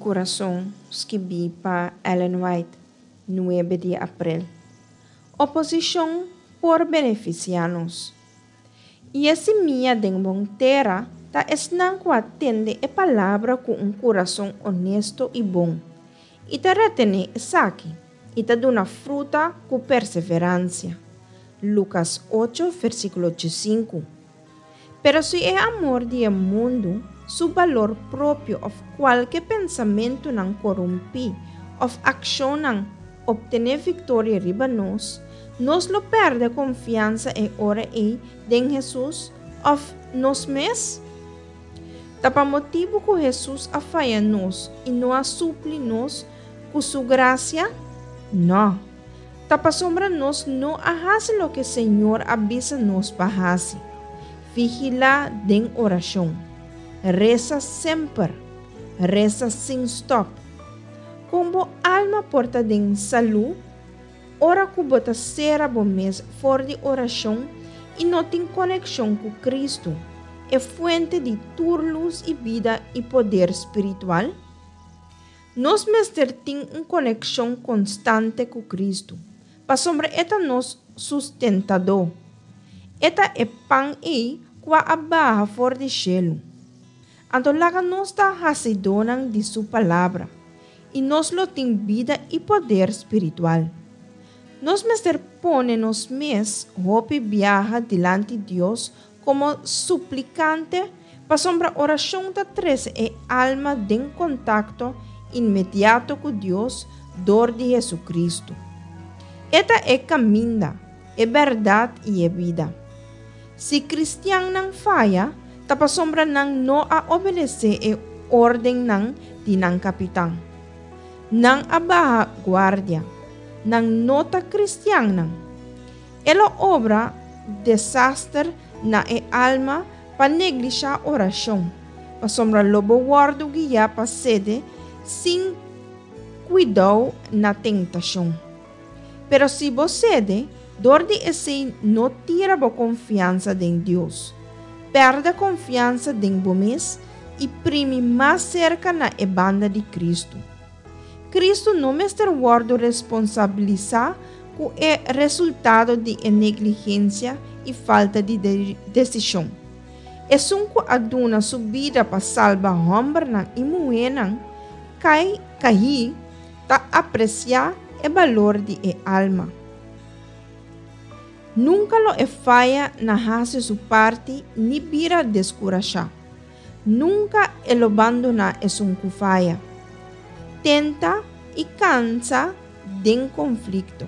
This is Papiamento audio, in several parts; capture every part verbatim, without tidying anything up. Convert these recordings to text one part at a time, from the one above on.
Kurason, skibí pa Ellen White, nuebe di aprel. Oposishon por benefisiá nos. I e simia den bon tera ta esnan ku a tende e palabra ku un kurason honesto i bon, i ta retené esaki, i ta duna fruta ku perseveransia. Lukas ocho, versíkulo sinku. Pero si e amor di e mundu, su balor propio òf kualke pensamentunan korumpí òf akshonnan optené viktoria riba nos, nos lo pèrdè konfiansa e ora ei den Hesus òf nos mes? Ta pa motibu ku Hesus a faya nos i no a supli nos ku su grasia? No. Ta pasobra nos no a hasi loke Señor a bisa nos pa hasi. Vigilá den orashon. Resa semper. Resa sin stòp. Kon bo alma por ta den salú, ora ku bo ta sera bo mes for di orashon i no tin konekshon ku Kristu, e fuente di tur lus i bida i poder spiritual? Nos mester tin un konekshon konstante ku Kristu, pasobra e ta nos sustentadó. E ta e pan ei ku a baha for di shelu. Anto laga nos ta hasidónan di su palabra, i nos lo tin bida i poder spiritual. Nos mester pone nos mes hopi biaha dilanti Dios komo suplikante, pasobra orashon ta trese e alma den kontakto inmediato ku Dios dor di Hesukristu. E ta e kaminda, e bèrdat i e bida. Si kristiannan faya, ta pasobra nan no a obedesé e órdennan di nan kapitan. Nan a baha guardia. Nan no ta kristiannan. E lo obra desaster na e alma pa neglishá orashon, pasobra lo bo wòrdu guiá pa sede sin kuidou na tentashon. Pero si bo sede, dor di esei no tira bo konfiansa den Dios. Pèrdè konfiansa den bo mes i primi mas serka na e banda di Kristu. Kristu no mester wòrdu responsabilisá ku e resultado di e negligensia i falta di desishon. Esun ku a duna su bida pa salba hòmbernan i muhénan kai kaí ta apresiá e balor di e alma. Nunka lo e faya na hasi su parti ni bira deskurashá. Nunka e lo bandoná esun ku faya. Tenta i kansa den konflikto.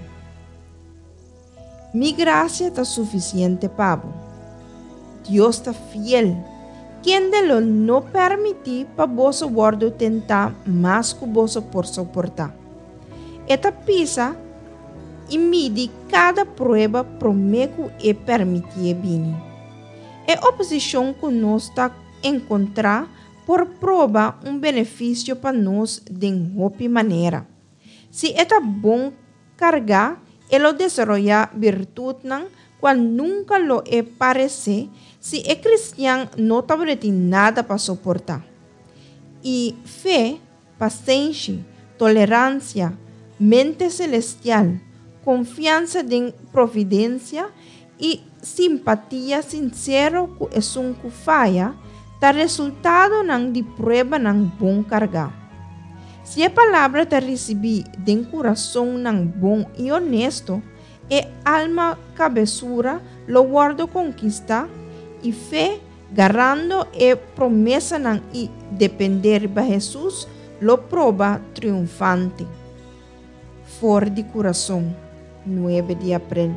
Mi grasia ta sufisiente pa bo. Dios ta fiel, kende lo no permití pa boso wòrdu tentá mas ku boso por soportá. E ta pisa i midi kada prueba promé ku e permitié bini. E oposishon ku nos ta enkontrá por proba un benefisio pa nos den hopi manera. Si e ta bon kargá, e lo desaroyá birtutnan kual nunka lo e paresé si e kristian no tabatin nada pa soportá. I fe, pasenshi, toleransia, mente selestial, konfiansa den providensia i simpatia sinsero ku esun ku faya ta resultadonan di pruebanan bon kargá. Si e palabra ta risibí den kurasonnan bon i honesto, e alma kabesura lo wòrdu konkistá i fe, garando e promesanan i dependé riba Hesus, lo proba triunfante. For di Kurason, nuebe di aprel.